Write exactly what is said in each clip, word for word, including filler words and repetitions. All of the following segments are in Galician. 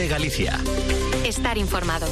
de Galicia. Estar informado.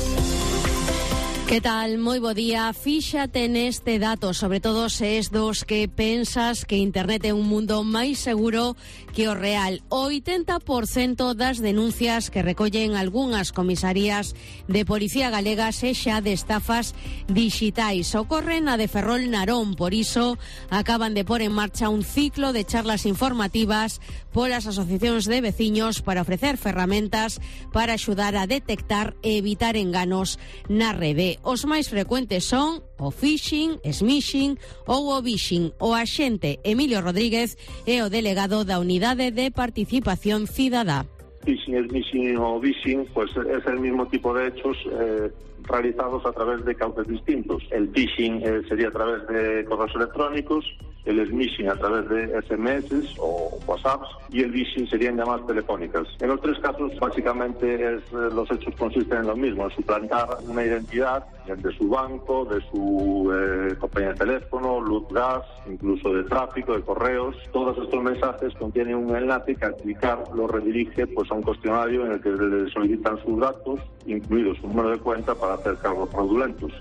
Que tal? Moi bo día. Fíxate neste dato, sobre todo se es dos que pensas que internet é un mundo máis seguro que o real. O oitenta por cento das denuncias que recollen algunhas comisarías de Policía Galega sexa de estafas dixitais. Ocorren a de Ferrol Narón, por iso acaban de pôr en marcha un ciclo de charlas informativas polas asociacións de veciños para ofrecer ferramentas para axudar a detectar e evitar enganos na rede. Os máis frecuentes son o phishing, smishing ou o vishing. O axente Emilio Rodríguez é o delegado da Unidade de Participación Cidadá. Phishing, smishing o vishing, pues es el mismo tipo de hechos eh, realizados a través de cauces distintos. El phishing eh, sería a través de correos electrónicos, el smishing a través de S M S o WhatsApps y el vishing serían llamadas telefónicas. En los tres casos básicamente es, los hechos consisten en lo mismo, en suplantar una identidad de su banco, de su eh, compañía de teléfono, luz, gas, incluso de tráfico, de correos. Todos estos mensajes contienen un enlace que al clicar lo redirige pues a un cuestionario en el que le solicitan sus datos, incluido su número de cuenta, para hacer cargos fraudulentos.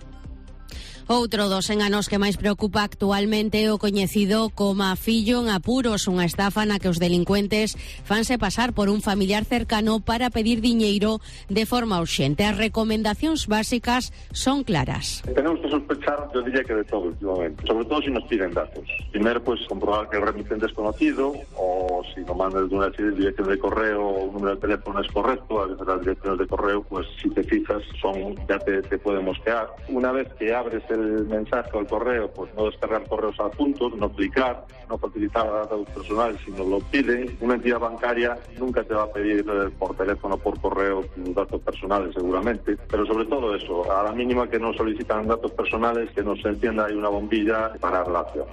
Outro dos enganos que máis preocupa actualmente é o coñecido como fillo en apuros, unha estafa na que os delincuentes fanse pasar por un familiar cercano para pedir diñeiro de forma urxente. As recomendacións básicas son claras. Tenemos que sospechar, yo diría que de todo últimamente, sobre todo si nos piden datos. Primero, pues comprobar que el remitente es conocido, o si lo mandas de una dirección de correo o un número de teléfono es correcto. A veces las direcciones de correo, pues si te fijas, son ya te, te pueden mosquear. Una vez que abres el mensaje o el correo, pues no descargar correos adjuntos, no clicar, no facilitar datos personales si nos lo piden. Una entidad bancaria nunca te va a pedir eh, por teléfono o por correo tus datos personales, seguramente, pero sobre todo eso, a la mínima que nos solicitan datos personales, que nos encienda ahí una bombilla para la acción.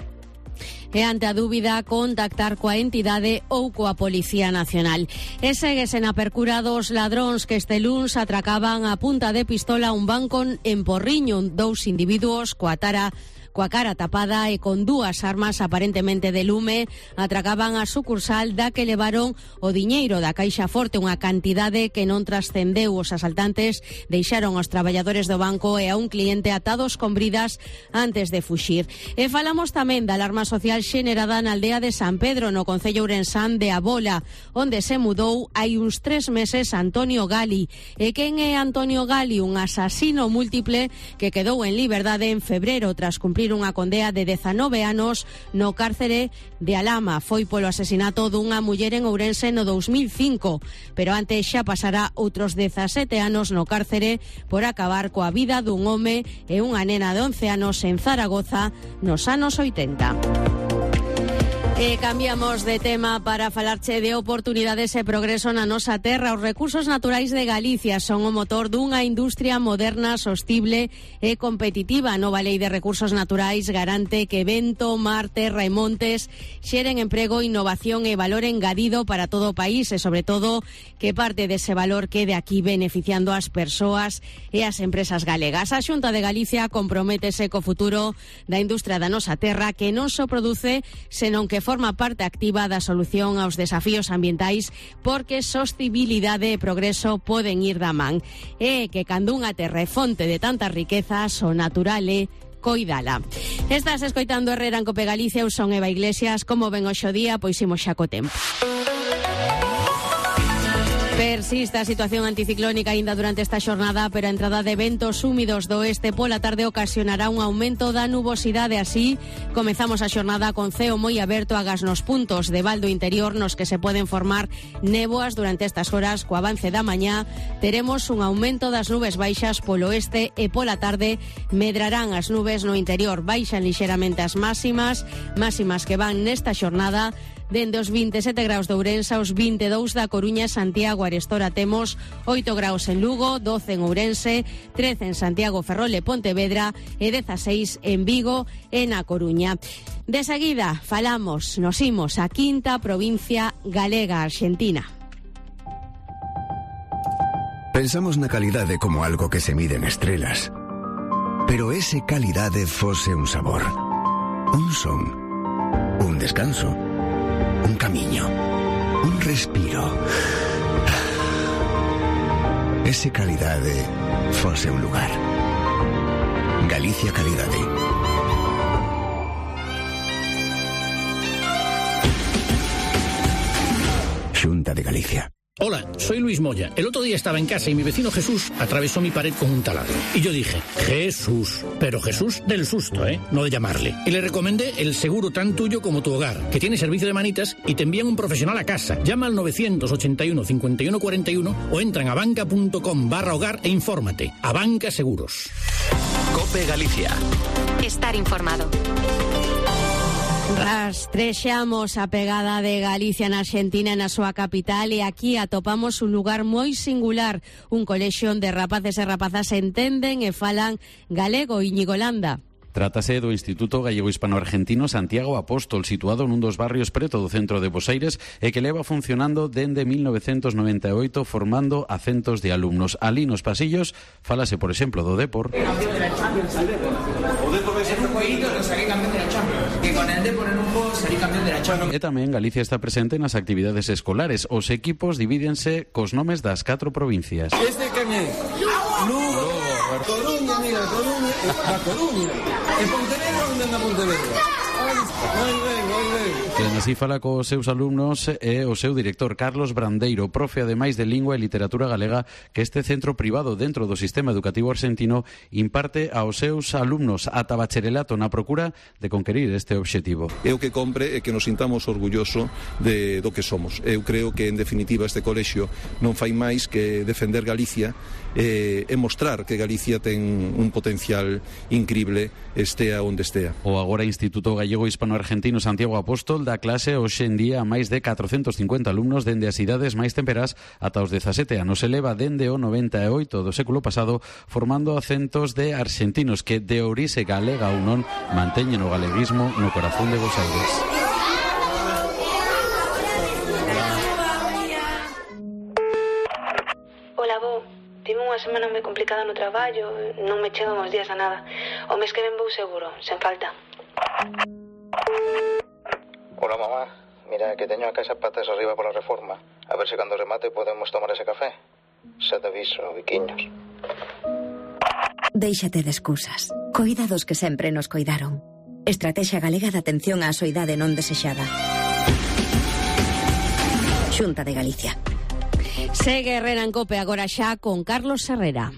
E ante a dúbida, contactar coa entidade ou coa Policía Nacional. E séguese na percura dos ladróns que este luns atracaban a punta de pistola un banco en Porriño. Dous individuos coa tara coa cara tapada e con dúas armas aparentemente de lume atracaban a sucursal da que levaron o diñeiro da Caixa Forte, unha cantidade que non trascendeu. Os asaltantes deixaron aos traballadores do banco e a un cliente atados con bridas antes de fuxir. E falamos tamén da alarma social xenerada na aldea de San Pedro, no concello ourensán de Abola, onde se mudou hai uns tres meses Antonio Gali. E quen é Antonio Gali? Un asasino múltiple que quedou en liberdade en febrero tras cumprir unha condea de dezanove anos no cárcere de Alhama. Foi polo asesinato dunha muller en Ourense no dous mil cinco, pero antes xa pasará outros dezasete anos no cárcere por acabar coa vida dun home e unha nena de once anos en Zaragoza nos anos oitenta. E cambiamos de tema para falarche de oportunidades e progreso na nosa terra. Os recursos naturais de Galicia son o motor dunha industria moderna, sostible e competitiva. A nova Lei de Recursos Naturais garante que vento, mar, terra e montes xeren emprego, innovación e valor engadido para todo o país e, sobre todo, que parte dese valor quede aquí beneficiando as persoas e as empresas galegas. A Xunta de Galicia comprométese co futuro da industria da nosa terra, que non só produce, senón que forma parte activa da solución aos desafíos ambientais, porque sostibilidade e progreso poden ir da man. E que cando unha terra é fonte de tantas riquezas, o natural é coidala. Estás escoitando Herrera en Cope Galicia, eu son Eva Iglesias. Como ven hoxe o día? Pois imos xa co tempo. Persiste a situación anticiclónica aínda durante esta xornada, pero a entrada de ventos húmidos do oeste pola tarde ocasionará un aumento da nubosidade. Así, comezamos a xornada con ceo moi aberto agás nos puntos de val do interior nos que se poden formar néboas durante estas horas. Co avance da mañá teremos un aumento das nubes baixas polo oeste e pola tarde medrarán as nubes no interior. Baixan lixeramente as máximas, máximas que van nesta xornada dende os veintesete graus de Ourense aos vinte e dous da Coruña, Santiago, Arestora temos oito graus en Lugo, doce en Ourense, trece en Santiago, Ferrol e Pontevedra e dezaseis en Vigo e na Coruña. De seguida falamos, nos imos a quinta provincia galega, Argentina. Pensamos na calidade como algo que se mide en estrelas. Pero ese calidade fose un sabor, un son, un descanso, un camiño, un respiro. ese calidade fose un lugar. Galicia Calidade. Xunta de Galicia. Hola, soy Luis Moya. El otro día estaba en casa y mi vecino Jesús atravesó mi pared con un taladro. Y yo dije, Jesús, pero Jesús del susto, ¿eh? No de llamarle. Y le recomendé el seguro tan tuyo como tu hogar, que tiene servicio de manitas y te envían un profesional a casa. Llama al nueve ochenta y uno, cincuenta y uno cuarenta y uno o entra en abanca punto com barra hogar e infórmate. Abanca Seguros. COPE Galicia. Estar informado. Rastrexamos a pegada de Galicia na Argentina na súa capital e aquí atopamos un lugar moi singular, un colexio onde rapaces e rapazas entenden e falan galego. Íñigo Landa. Trátase do Instituto Gallego Hispano-Argentino Santiago Apóstol, situado nun dos barrios preto do centro de Bos Aires e que leva funcionando dende mil novecentos noventa e oito formando a centos de alumnos. Ali nos pasillos falase, por exemplo, do Depor. Campeón de la Champions al Depor. O Depor vai ser un jueguito que saqué campeón de la Champions. Que con el Depor en un juego salí campeón de la Champions. E tamén Galicia está presente nas actividades escolares. Os equipos divídense cos nomes das catro provincias. Este quen é? Lugo, Coruña, mira, Coruña, a Coruña. E Pontevedra, onde anda Pontevedra? Moi ben, moi ben. Quen así fala cos seus alumnos é o seu director, Carlos Brandeiro, profe ademais de Lingua e Literatura Galega, que este centro privado dentro do sistema educativo argentino imparte aos seus alumnos ata bacharelato na procura de conquerir este obxectivo. Eu que compre é que nos sintamos orgulloso de do que somos. Eu creo que, en definitiva, este colexio non fai máis que defender Galicia e, e mostrar que Galicia ten un potencial incrible, estea onde estea. O agora Instituto Gallego Hispano-Argentino Santiago Apóstol dá clase hoxe en día a máis de catrocentos cincuenta alumnos dende as idades máis temperás ata os dezasete anos. Se leva dende o noventa e oito do século pasado formando a centos de argentinos que de orixe galega ou non manteñen o galeguismo no corazón de Bos Aires. Ola, bo. Tive unha semana moi complicada no traballo, non me chegan os días a nada. O mes que ven vou seguro, sen falta. Hola, mamá. Mira, que teño a casa patas arriba pola reforma. A ver se cando remate podemos tomar ese café. Xa te aviso, biquiños. Déixate de excusas. Coida dos que sempre nos coidaron. Estrategia Galega de Atención á Soidade Non Desexada. Xunta de Galicia. Segue Herrera en COPE agora xa con Carlos Herrera.